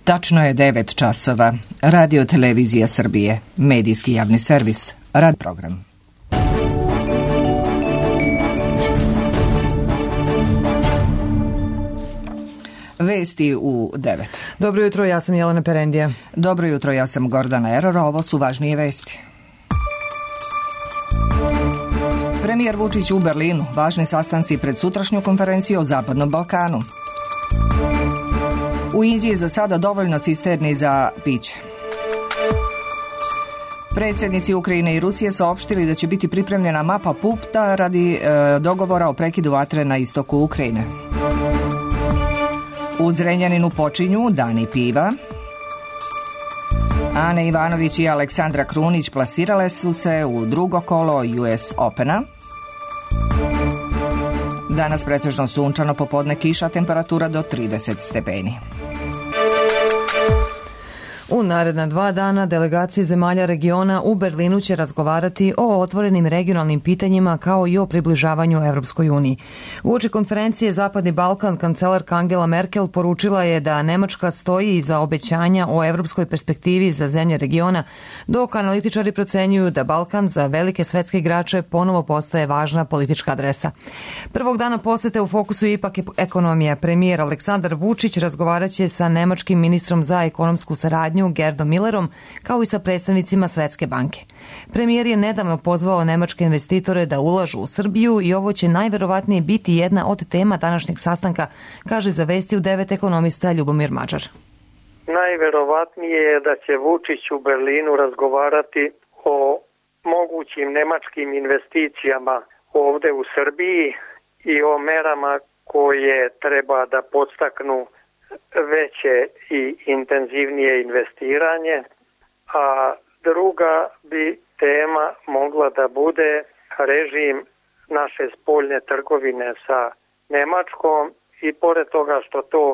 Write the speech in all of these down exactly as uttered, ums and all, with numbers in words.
Tačno je devet časova. Radio Televizija Srbije, medijski javni servis, rad program. Vesti u devet. Dobro jutro, ja sam Jelena Perendija. Dobro jutro, ja sam Gordana Eror, ovo su važnije vesti. Premijer Vučić u Berlinu, važni sastanci pred sutrašnju konferenciju o Zapadnom Balkanu. U Indiji za sada dovoljno cisterni za piće. Predsjednici Ukrajine i Rusije saopštili da će biti pripremljena mapa puta radi e, dogovora o prekidu vatre na istoku Ukrajine. U Zrenjaninu počinju dani piva. Ana Ivanović i Aleksandra Krunić plasirale su se u drugo kolo U S Opena. Danas pretežno sunčano, popodne kiša, temperatura do trideset stepeni. U naredna dva dana delegacije zemalja regiona u Berlinu će razgovarati o otvorenim regionalnim pitanjima kao i o približavanju Evropskoj uniji. Uoči konferencije Zapadni Balkan kancelarka Angela Merkel poručila je da Nemačka stoji iza obećanja o evropskoj perspektivi za zemlje regiona, dok analitičari procenjuju da Balkan za velike svetske igrače ponovo postaje važna politička adresa. Prvog dana posete u fokusu ipak ekonomija. Premijer Aleksandar Vučić razgovaraće sa nemačkim ministrom za ekonomsku saradnju Gerdom Millerom, kao i sa predstavnicima Svetske banke. Premijer je nedavno pozvao nemačke investitore da ulažu u Srbiju i ovo će najverovatnije biti jedna od tema današnjeg sastanka, kaže za Vesti u devet ekonomista Ljubomir Mađar. Najverovatnije je da će Vučić u Berlinu razgovarati o mogućim nemačkim investicijama ovde u Srbiji i o merama koje treba da podstaknu veće i intenzivnije investiranje, a druga bi tema mogla da bude režim naše spoljne trgovine sa Nemačkom i pored toga što to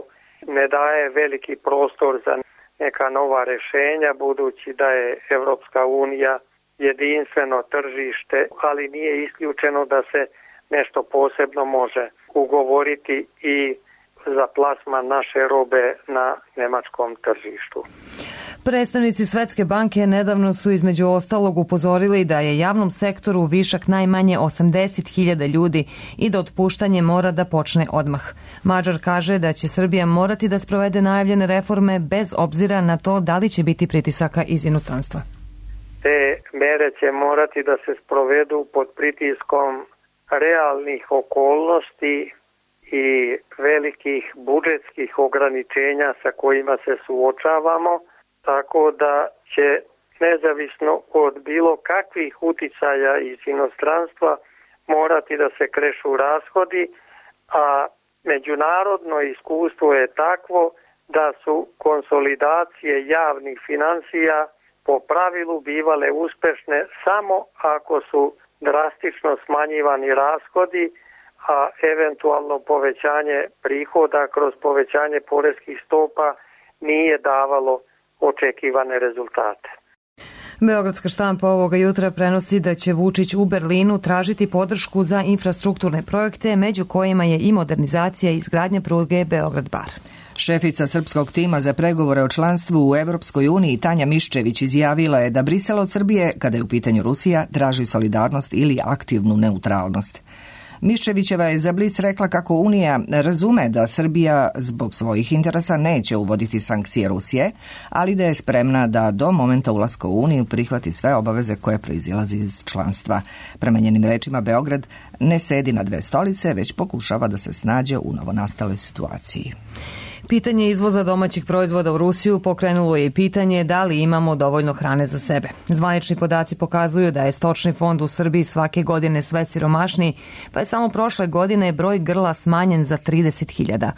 ne daje veliki prostor za neka nova rešenja, budući da je Evropska unija jedinstveno tržište, ali nije isključeno da se nešto posebno može ugovoriti i za plasman naše robe na nemačkom tržištu. Predstavnici Svetske banke nedavno su između ostalog upozorili da je javnom sektoru višak najmanje osamdeset hiljada ljudi i da otpuštanje mora da počne odmah. Mađar kaže da će Srbija morati da sprovede najavljene reforme bez obzira na to da li će biti pritisaka iz inostranstva. Te mere će morati da se sprovedu pod pritiskom realnih okolnosti i velikih budžetskih ograničenja sa kojima se suočavamo, tako da će nezavisno od bilo kakvih uticaja iz inostranstva morati da se krešu rashodi, a međunarodno iskustvo je takvo da su konsolidacije javnih finansija po pravilu bivale uspešne samo ako su drastično smanjivani rashodi, a eventualno povećanje prihoda kroz povećanje poreskih stopa nije davalo očekivane rezultate. Beogradska štampa ovoga jutra prenosi da će Vučić u Berlinu tražiti podršku za infrastrukturne projekte, među kojima je i modernizacija i izgradnja pruge Beograd-Bar. Šefica srpskog tima za pregovore o članstvu u Evropskoj uniji Tanja Miščević izjavila je da Brisel od Srbije, kada je u pitanju Rusija, traži solidarnost ili aktivnu neutralnost. Miščevićeva je za Blic rekla kako Unija razume da Srbija zbog svojih interesa neće uvoditi sankcije Rusije, ali da je spremna da do momenta ulaska u Uniju prihvati sve obaveze koje proizilaze iz članstva. Prema njenim rečima, Beograd ne sedi na dve stolice, već pokušava da se snađe u novonastaloj situaciji. Pitanje izvoza domaćih proizvoda u Rusiju pokrenulo je i pitanje da li imamo dovoljno hrane za sebe. Zvanični podaci pokazuju da je stočni fond u Srbiji svake godine sve siromašniji, pa je samo prošle godine broj grla smanjen za trideset hiljada.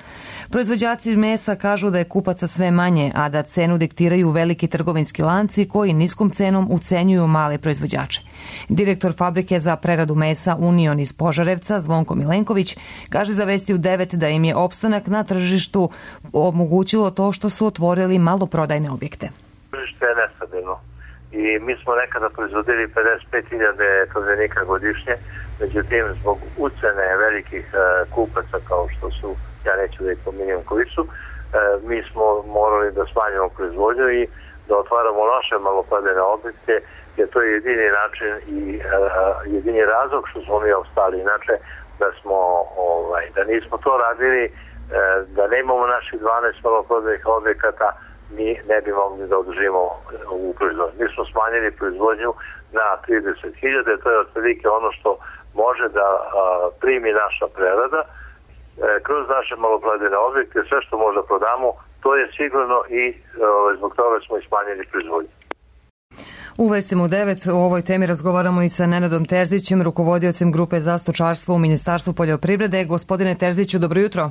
Proizvođači mesa kažu da je kupaca sve manje, a da cenu diktiraju veliki trgovinski lanci koji niskom cenom ucenjuju male proizvođače. Direktor fabrike za preradu mesa Union iz Požarevca, Zvonko Milenković, kaže za Vesti u devet da im je opstanak na tržištu omogućilo to što su otvorili maloprodajne objekte. Tržište je nestabilno i mi smo nekada proizvodili pedeset pet hiljada tovljenika godišnje, međutim zbog ucene velikih kupaca kao što su, ja neću da ih pominjem koji su, mi smo morali da smanjimo proizvodnju i da otvaramo naše maloprodajne objekte, jer to je jedini način i jedini razlog što smo mi ostali. Inače, da smo, ovaj, da nismo to radili, da nemamo naših dvanaest maloprodajnih objekata, mi ne bi mogli da održimo u proizvodnju. Mi smo smanjili proizvodnju na trideset hiljada, to je otprilike ono što može da a, primi naša prerada. E, kroz naše maloprodajne objekte, sve što možda prodamo, to je sigurno i e, zbog toga smo i smanjili proizvodnju. U Vestima u devet o ovoj temi razgovaramo i sa Nenadom Terzićem, rukovodiocem grupe za stočarstvo u Ministarstvu poljoprivrede. Gospodine Terziću, dobro jutro.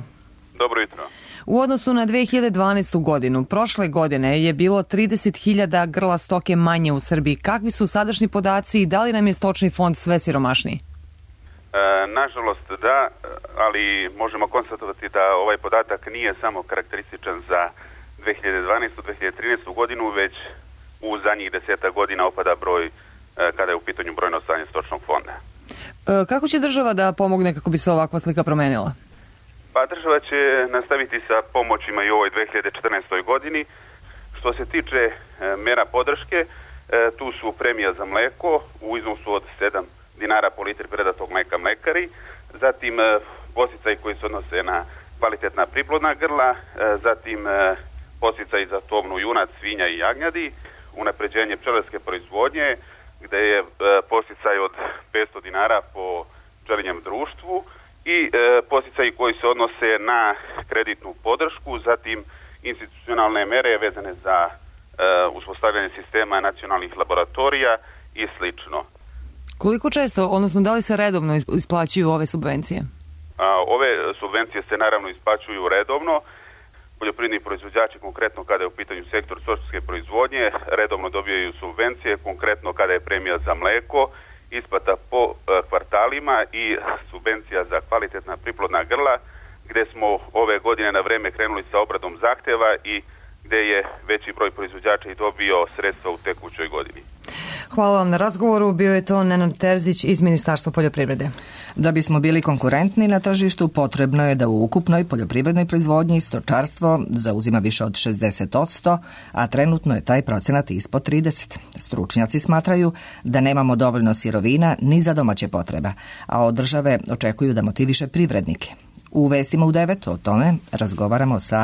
Dobro jutro. U odnosu na dve hiljade dvanaestu. godinu, prošle godine je bilo trideset hiljada grla stoke manje u Srbiji. Kakvi su sadašnji podaci i da li nam je stočni fond sve siromašniji? E, nažalost da, ali možemo konstatovati da ovaj podatak nije samo karakterističan za dve hiljade dvanaestu. dve hiljade trinaestu. godinu, već u zadnjih deseta godina opada broj e, kada je u pitanju brojno stanje stočnog fonda. E, kako će država da pomogne kako bi se ovakva slika promenila? Pa država će nastaviti sa pomoćima i u ovoj dve hiljade četrnaestoj. godini. Što se tiče e, mera podrške, e, tu su premija za mleko u iznosu od sedam dinara po litri predatog mleka mlekari, zatim e, podsticaj koji se odnose na kvalitetna priplodna grla, e, zatim e, podsticaj za tovnu junac, svinja i jagnjadi, unapređenje pčelarske proizvodnje, gde je e, podsticaj od petsto dinara po pčelinjem društvu, i e, posticaji koji se odnose na kreditnu podršku, zatim institucionalne mere vezane za e, uspostavljanje sistema nacionalnih laboratorija i slično. Koliko često, odnosno da li se redovno isplaćuju ove subvencije? A, ove subvencije se naravno isplaćuju redovno. Poljoprivredni proizvođači, konkretno kada je u pitanju sektor stočarske proizvodnje, redovno dobijaju subvencije, konkretno kada je premija za mleko, isplata po e, kvartalima i subvencija za kvalitetna priplodna grla, gde smo ove godine na vreme krenuli sa obradom zahteva i gde je veći broj proizvođača i dobio sredstva u tekućoj godini. Hvala vam na razgovoru. Bio je to Nenad Terzić iz Ministarstva poljoprivrede. Da bismo bili konkurentni na tržištu, potrebno je da u ukupnoj poljoprivrednoj proizvodnji stočarstvo zauzima više od šezdeset posto, a trenutno je taj procenat ispod trideset. Stručnjaci smatraju da nemamo dovoljno sirovina ni za domaće potrebe, a od države očekuju da motiviše privrednike. U Vestima u devet o tome razgovaramo sa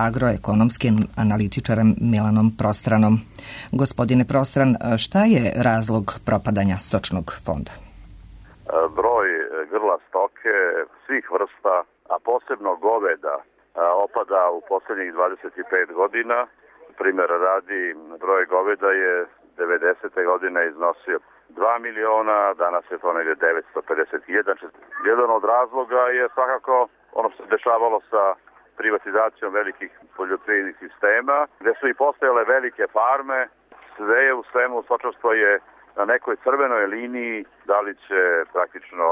agroekonomskim analitičarem Milanom Prostranom. Gospodine Prostran, šta je razlog propadanja stočnog fonda? Broj grla stoke svih vrsta, a posebno goveda, opada u posljednjih dvadeset pet godina. Primjer radi, broj goveda je devedesete godine iznosio dva miliona, danas je to negdje devetsto pedeset hiljada. Jedan od razloga je svakako ono što se dešavalo sa privatizacijom velikih poljoprivrednih sistema, gdje su i postojale velike farme. Sve je u svemu, stočarstvo je na nekoj crvenoj liniji, da li će praktično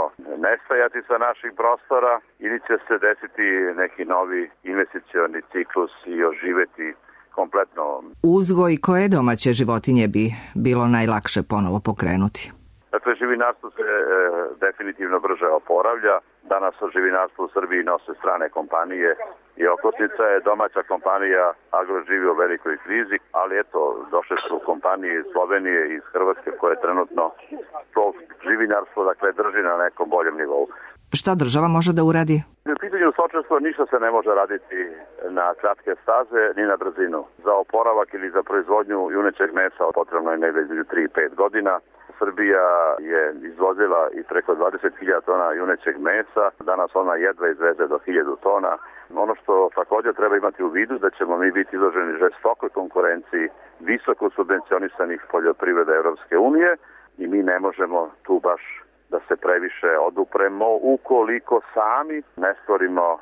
nestajati sa naših prostora ili će se desiti neki novi investicioni ciklus i oživeti kompletno. Uzgoj koje domaće životinje bi bilo najlakše ponovo pokrenuti? Dakle, živinarstvo se e, definitivno brže oporavlja. Danas o živinarstvu u Srbiji nose strane kompanije i okosnica je domaća kompanija Agro živi u velikoj krizi, ali eto, došle su kompanije iz Slovenije i iz Hrvatske koje trenutno to živinarstvo dakle, drži na nekom boljem nivou. Šta država može da uradi? U pitanju stočarstva ništa se ne može raditi na kratke staze ni na brzinu. Za oporavak ili za proizvodnju junećeg mesa potrebno je negdje između tri do pet godina. Srbija je izvozila i preko dvadeset hiljada tona junećeg mesa, danas ona jedva izveze do hiljadu tona. Ono što također treba imati u vidu da ćemo mi biti izloženi žestokoj konkurenciji visoko subvencionisanih poljoprivreda Europske unije i mi ne možemo tu baš da se previše odupremo ukoliko sami ne stvorimo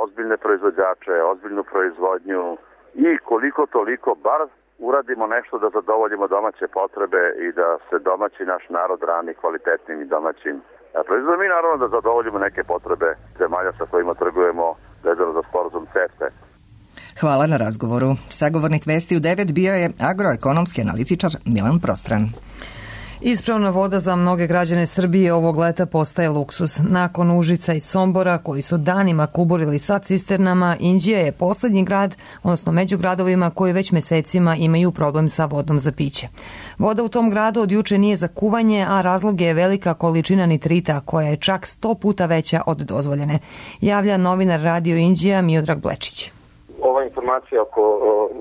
ozbiljne proizvođače, ozbiljnu proizvodnju i koliko toliko bar uradimo nešto da zadovoljimo domaće potrebe i da se domaći naš narod rani kvalitetnim i domaćim proizvodom. Mi naravno da zadovoljimo neke potrebe zemalja sa kojima trgujemo vezano za sporazum CEFTA. Hvala na razgovoru. Sagovornik Vesti u devet bio je agroekonomski analitičar Milan Prostran. Ispravna voda za mnoge građane Srbije ovog leta postaje luksus. Nakon Užica i Sombora, koji su danima kuburili sa cisternama, Inđija je poslednji grad, odnosno među gradovima koji već mesecima imaju problem sa vodom za piće. Voda u tom gradu od juče nije za kuvanje, a razlog je velika količina nitrita, koja je čak sto puta veća od dozvoljene. Javlja novinar Radio Inđija Miodrag Blečić. Ova informacija oko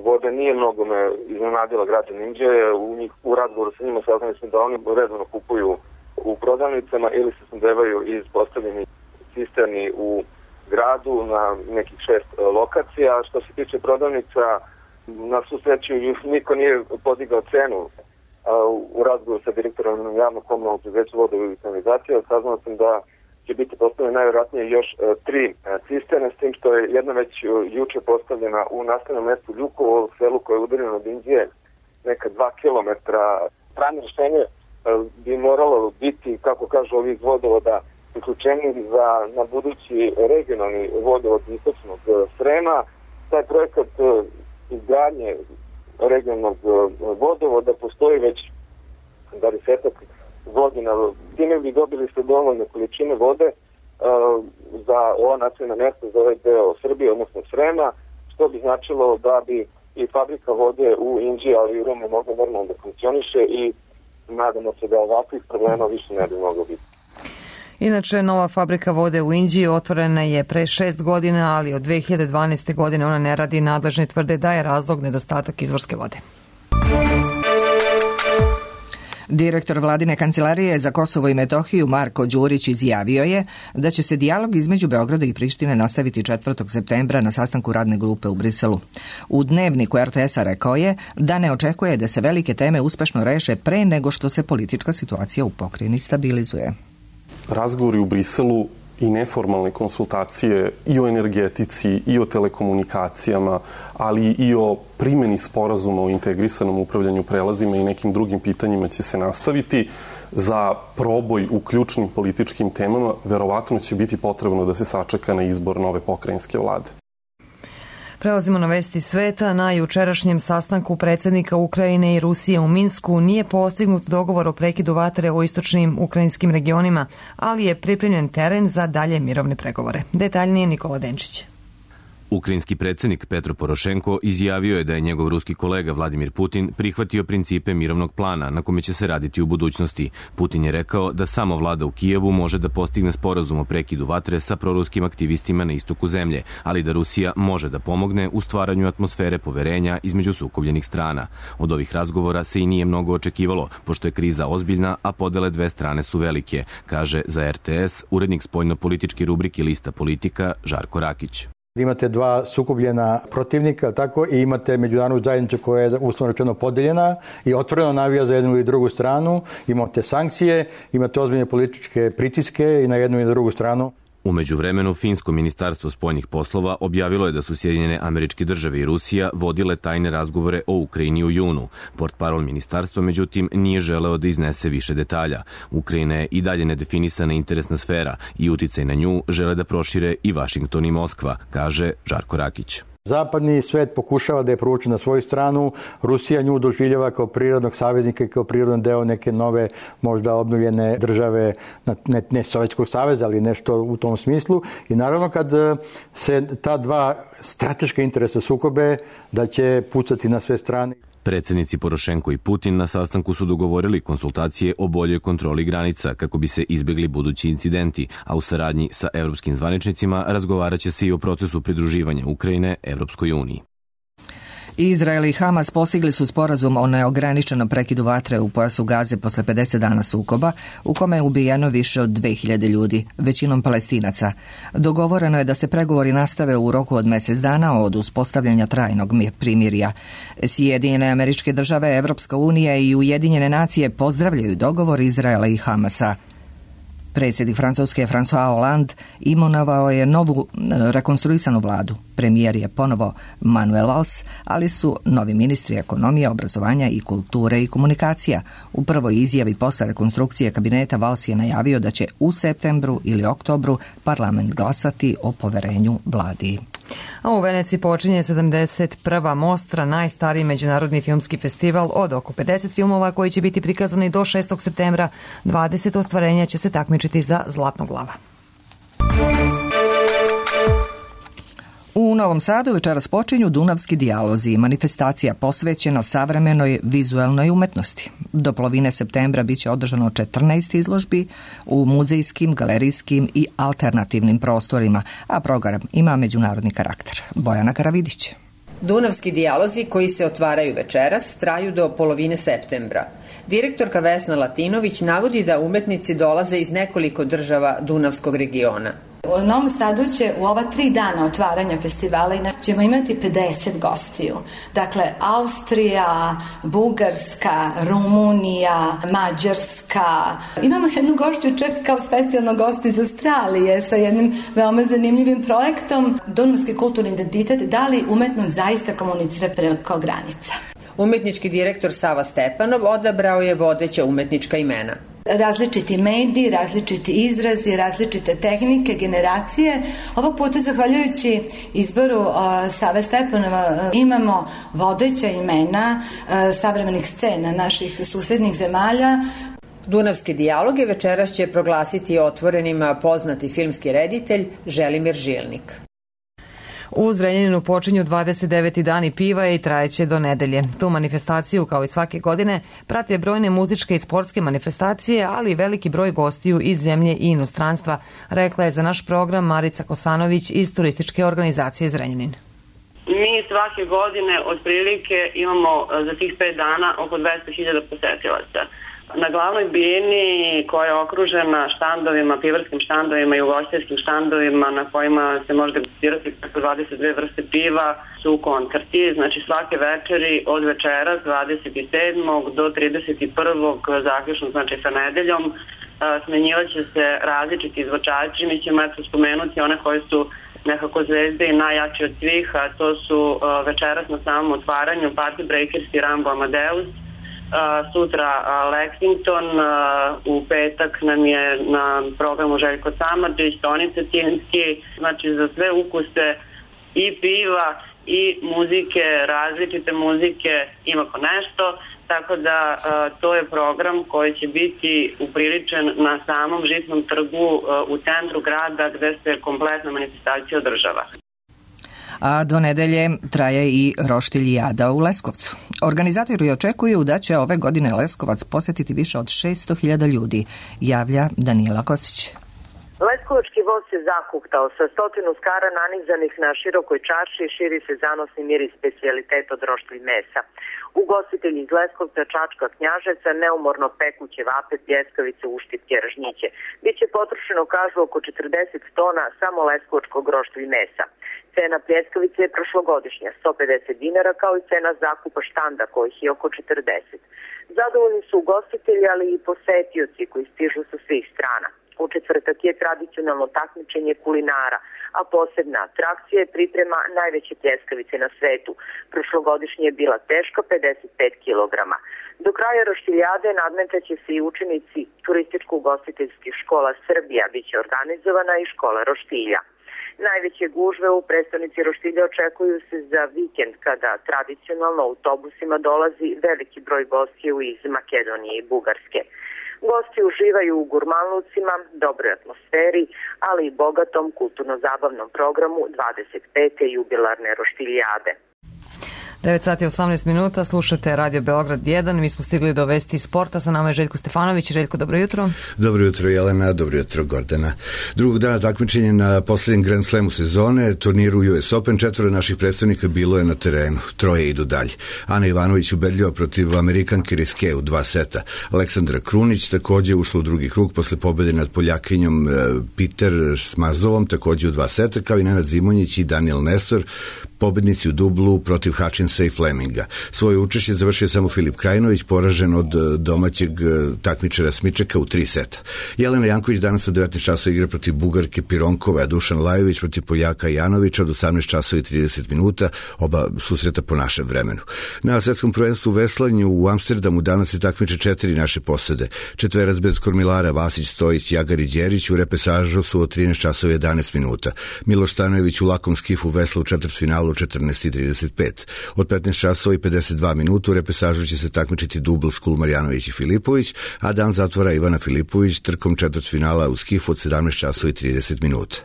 vode nije mnogo me iznenadila građana Inđije. U, njih, u razgovoru sa njima saznali smo da oni redovno kupuju u prodavnicama ili se snabdevaju iz postavljenih cisterni u gradu na nekih šest lokacija. Što se tiče prodavnica, na svu sreću niko nije podigao cenu. U razgovoru sa direktorom javnog komunalnog preduzeća vode i kanalizacije saznao sam da će biti postavljene najvjerojatnije još e, tri e, cisterne, s tim što je jedna već e, juče postavljena u nastavnom mestu Ljukovo, selu koje je udaljeno od Inđije, neka dva kilometra. Trajno rješenje e, bi moralo biti, kako kažu ovi iz vodovoda, uključeni za na budući regionalni vodovod istočnog e, Srema. Taj projekat e, izgradnje regionalnog e, vodovoda postoji već dvadesetak godina. Time bi dobili ste dovoljne količine vode uh, za ova nacionalna mjesta, za ovaj deo Srbije, odnosno Srema, što bi značilo da bi i fabrika vode u Inđiji, ali i u Rumu mogla normalno da funkcioniše i nadamo se da ovakvih problema više ne bi moglo biti. Inače, nova fabrika vode u Inđiji otvorena je pre šest godina, ali od dve hiljade dvanaeste. godine ona ne radi. Nadležni tvrde da je razlog nedostatak izvorske vode. Direktor vladine kancelarije za Kosovo i Metohiju Marko Đurić izjavio je da će se dijalog između Beograda i Prištine nastaviti četvrtog septembra na sastanku radne grupe u Briselu. U dnevniku er te es-a rekao je da ne očekuje da se velike teme uspešno reše pre nego što se politička situacija u pokrajini stabilizuje. Razgovori u Briselu i neformalne konsultacije i o energetici i o telekomunikacijama, ali i o primjeni sporazuma o integrisanom upravljanju prelazima i nekim drugim pitanjima će se nastaviti. Za proboj u ključnim političkim temama verovatno će biti potrebno da se sačeka na izbor nove pokrajinske vlade. Prelazimo na vesti sveta. Na jučerašnjem sastanku predsjednika Ukrajine i Rusije u Minsku nije postignut dogovor o prekidu vatre u istočnim ukrajinskim regionima, ali je pripremljen teren za dalje mirovne pregovore. Detaljnije Nikola Denčić. Ukrajinski predsjednik Petro Porošenko izjavio je da je njegov ruski kolega Vladimir Putin prihvatio principe mirovnog plana na kome će se raditi u budućnosti. Putin je rekao da samo vlada u Kijevu može da postigne sporazum o prekidu vatre sa proruskim aktivistima na istoku zemlje, ali da Rusija može da pomogne u stvaranju atmosfere poverenja između sukobljenih strana. Od ovih razgovora se i nije mnogo očekivalo, pošto je kriza ozbiljna, a podele dve strane su velike, kaže za er te es urednik spoljno-političke rubrike Lista Politika Žarko Rakić. Imate dva sukobljena protivnika, tako, i imate međunarodnu zajednicu koja je uslovno rečeno podeljena i otvoreno navija za jednu ili drugu stranu. Imate sankcije, imate ozbiljne političke pritiske i na jednu i na drugu stranu. U međuvremenu, Finsko ministarstvo spoljnih poslova objavilo je da su Sjedinjene Američke Države i Rusija vodile tajne razgovore o Ukrajini u junu. Portparol ministarstva, međutim, nije želeo da iznese više detalja. Ukrajina je i dalje nedefinisana interesna sfera i uticaj na nju žele da prošire i Vašington i Moskva, kaže Žarko Rakić. Zapadni svet pokušava da je provuče na svoju stranu, Rusija nju doživljava kao prirodnog saveznika i kao prirodan deo neke nove, možda obnovljene države, ne, ne Sovjetskog saveza, ali nešto u tom smislu. I naravno kad se ta dva strateška interesa sukobe, da će pucati na sve strane. Predsjednici Porošenko i Putin na sastanku su dogovorili konsultacije o boljoj kontroli granica kako bi se izbjegli budući incidenti, a u saradnji sa evropskim zvaničnicima razgovarat će se i o procesu pridruživanja Ukrajine Evropskoj uniji. Izrael i Hamas postigli su sporazum o neograničenom prekidu vatre u pojasu Gaze posle pedeset dana sukoba, u kome je ubijeno više od dve hiljade ljudi, većinom Palestinaca. Dogovoreno je da se pregovori nastave u roku od mjesec dana od uspostavljanja trajnog primirja. Sjedinjene Američke Države, Evropska unija i Ujedinjene nacije pozdravljaju dogovor Izraela i Hamasa. Predsjednik Francuske François Hollande imenovao je novu rekonstruisanu vladu. Premijer je ponovo Manuel Valls, ali su novi ministri ekonomije, obrazovanja i kulture i komunikacija. U prvoj izjavi posle rekonstrukcije kabineta Valls je najavio da će u septembru ili oktobru parlament glasati o poverenju vladi. A u Veneciji počinje sedamdeset prva Mostra, najstariji međunarodni filmski festival od oko pedeset filmova koji će biti prikazani do šestog septembra. dvadeset ostvarenja će se takmičiti za Zlatnog lava. U Novom Sadu večeras počinju Dunavski dijalozi, manifestacija posvećena savremenoj vizuelnoj umetnosti. Do polovine septembra biće održano četrnaest izložbi u muzejskim, galerijskim i alternativnim prostorima, a program ima međunarodni karakter. Bojana Karavidić. Dunavski dijalozi koji se otvaraju večeras traju do polovine septembra. Direktorka Vesna Latinović navodi da umetnici dolaze iz nekoliko država Dunavskog regiona. U Novom Sadu će u ova tri dana otvaranja festivala ćemo imati pedeset gostiju. Dakle, Austrija, Bugarska, Rumunija, Mađarska. Imamo jednu gošću čak kao specijalno gost iz Australije sa jednim veoma zanimljivim projektom. Dunavski kulturni identitet, da li umetnost zaista komunicira preko granica. Umetnički direktor Sava Stepanov odabrao je vodeća umetnička imena. Različiti mediji, različiti izrazi, različite tehnike, generacije. Ovog puta, zahvaljujući izboru uh, Save Stepanova, uh, imamo vodeća imena uh, savremenih scena naših susednih zemalja. Dunavske dijaloge večeras će proglasiti otvorenima poznati filmski reditelj Želimir Žilnik. U Zrenjaninu počinju dvadeset deveti dani piva i trajeće do nedelje. Tu manifestaciju, kao i svake godine, prate brojne muzičke i sportske manifestacije, ali i veliki broj gostiju iz zemlje i inostranstva, rekla je za naš program Marica Kosanović iz turističke organizacije Zrenjanin. Mi svake godine otprilike imamo za tih pet dana oko dvesta hiljada posetilaca. Na glavnoj bini koja je okružena štandovima, pivarskim štandovima i ugostiteljskim štandovima na kojima se može degustirati preko dvadeset dve vrste piva su koncerti, znači svake večeri od večeras dvadeset sedmog do trideset prvog zaključno, znači sa nedeljom, smenjivaće se različiti izvođači. Mi ćemo eto spomenuti one koji su nekako zvezde i najjači od svih, a to su večeras na samom otvaranju Party Breakers i Rambo Amadeus. Uh, sutra uh, Lexington, uh, u petak nam je na programu Željko Samardžić, Toni Cetinski, znači za sve ukuse i piva i muzike, različite muzike ima ko nešto, tako da uh, to je program koji će biti upriličen na samom Žitnom trgu uh, u centru grada gde se kompletna manifestacija održava. A do nedelje traje i Roštiljijada u Leskovcu. Organizatori očekuju da će ove godine Leskovac posjetiti više od šesto hiljada ljudi, javlja Danijela Kocić. Leskovački voz se zahuktao sa stotinu skara nanizanih na širokoj čarši, širi se zanosni miris specijalitet od roštilj mesa. Ugostitelji iz Leskovca, Čačka, Knjaževca neumorno peku ćevape, pljeskavice, uštipke, ražnjiće. Biće potrošeno, kažu, oko četrdeset tona samo leskovačkog roštilj mesa. Cena pljeskavice je prošlogodišnja, sto pedeset dinara, kao i cena zakupa štanda, kojih je oko četrdeset. Zadovoljni su ugostitelji, ali i posetioci koji stižu sa svih strana. U četvrtak je tradicionalno takmičenje kulinara, a posebna atrakcija je priprema najveće pljeskavice na svetu. Prošlogodišnje je bila teška pedeset pet kilograma. Do kraja Roštiljade nadmetaće se i učenici turističko-ugostiteljskih škola Srbija, biće organizovana i škola roštilja. Najveće gužve u prestonici Roštilja očekuju se za vikend, kada tradicionalno autobusima dolazi veliki broj gostiju iz Makedonije i Bugarske. Gosti uživaju u gurmanlucima, dobroj atmosferi, ali i bogatom kulturno-zabavnom programu dvadeset pete jubilarne Roštiljade. devet sati i osamnaest minuta, slušate Radio Beograd jedan, mi smo stigli do vesti sporta, sa nama je Željko Stefanović. Željko, dobro jutro. Dobro jutro Jelena, dobro jutro Gordana. Drugog dana takmičenja na posljednjem Grand Slamu sezone, turniru U S Open, četvoro naših predstavnika bilo je na terenu, troje idu dalje. Ana Ivanović ubedljiva protiv Amerikanke Riske u dva seta. Aleksandra Krunić takođe ušla u drugi krug posle pobede nad Poljakinjom Peter Smazovom, takođe u dva seta, kao i Nenad Zimonjić i Daniel Nestor, pobednici u dublu protiv Hačin Hutchinsa i Fleminga. Svoje učešće završio samo Filip Krajinović, poražen od domaćeg takmičara Smičeka u tri seta. Jelena Janković danas od devetnaest časova igra protiv Bugarke Pironkove, a Dušan Lajović protiv Poljaka Janovića od osamnaest časova i trideset minuta, oba susreta po našem vremenu. Na svetskom prvenstvu u veslanju u Amsterdamu danas se takmiče četiri naše posade. Četverac bez kormilara Vasić, Stojić, Jagar i Đerić u repesažu su od trinaest časova i jedanaest minuta. Miloš Stanojević u lakom skifu vesla u četvrtfinalu u četrnaest i trideset pet. Od petnaest časova i pedeset dva minuta u repesažu će se takmičiti dubl Skul Marjanović i Filipović, a dan zatvora Ivana Filipović trkom četvrtfinala u skifu od sedamnaest časova i trideset minuta.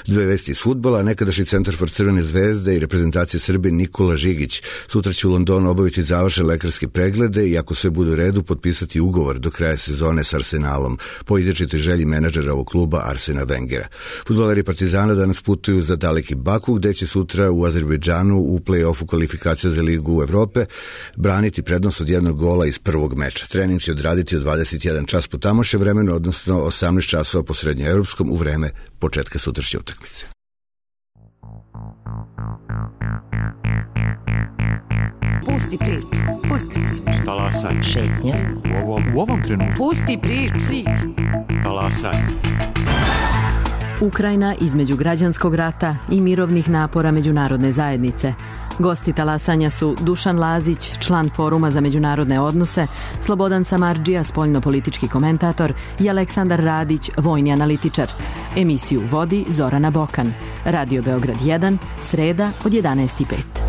Dve vesti iz fudbala, nekadašnji centarfor Crvene zvezde i reprezentacije Srbije Nikola Žigić sutra će u Londonu obaviti završne lekarske preglede i ako sve bude u redu potpisati ugovor do kraja sezone s Arsenalom, po izričitoj želji menadžera ovog kluba Arsena Wengera. Fudbaleri Partizana danas putuju za daleki Baku, gde će sutra u Azerbejdžanu u play-offu kvalifikacija za Ligu Evrope braniti prednost od jednog gola iz prvog meča. Trening će odraditi od dvadeset jedan čas po tamošnjem vremenu, odnosno osamnaest časova po srednjoevropskom u vreme početka sutrašnje utakmice. Pusti priču, pusti priču. Talasaj. Šetnja. U ovom, u ovom trenutku. Pusti priču. priču. Talasaj. Ukrajina između građanskog rata i mirovnih napora međunarodne zajednice. Gosti talasanja su Dušan Lazić, član Foruma za međunarodne odnose, Slobodan Samardžija, spoljnopolitički komentator i Aleksandar Radić, vojni analitičar. Emisiju vodi Zorana Bokan. Radio Beograd jedan, sreda od jedanaest i pet.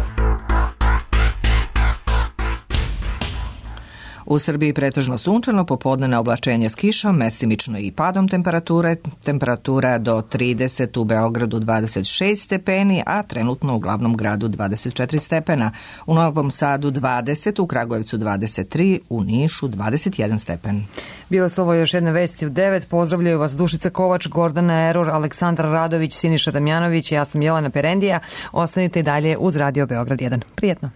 U Srbiji pretežno sunčano, popodnevno oblačenje s kišom, mestimično i padom temperature, temperatura do trideset, u Beogradu dvadeset šest stepeni, a trenutno u glavnom gradu dvadeset četiri stepena. U Novom Sadu dvadeset, u Kragujevcu dvadeset tri, u Nišu dvadeset jedan stepen. Bile su ovo još jedne vesti u devet. Pozdravljaju vas Dušica Kovač, Gordana Eror, Aleksandar Radović, Siniša Damjanović, ja sam Jelena Perendija. Ostanite i dalje uz Radio Beograd jedan. Prijetno.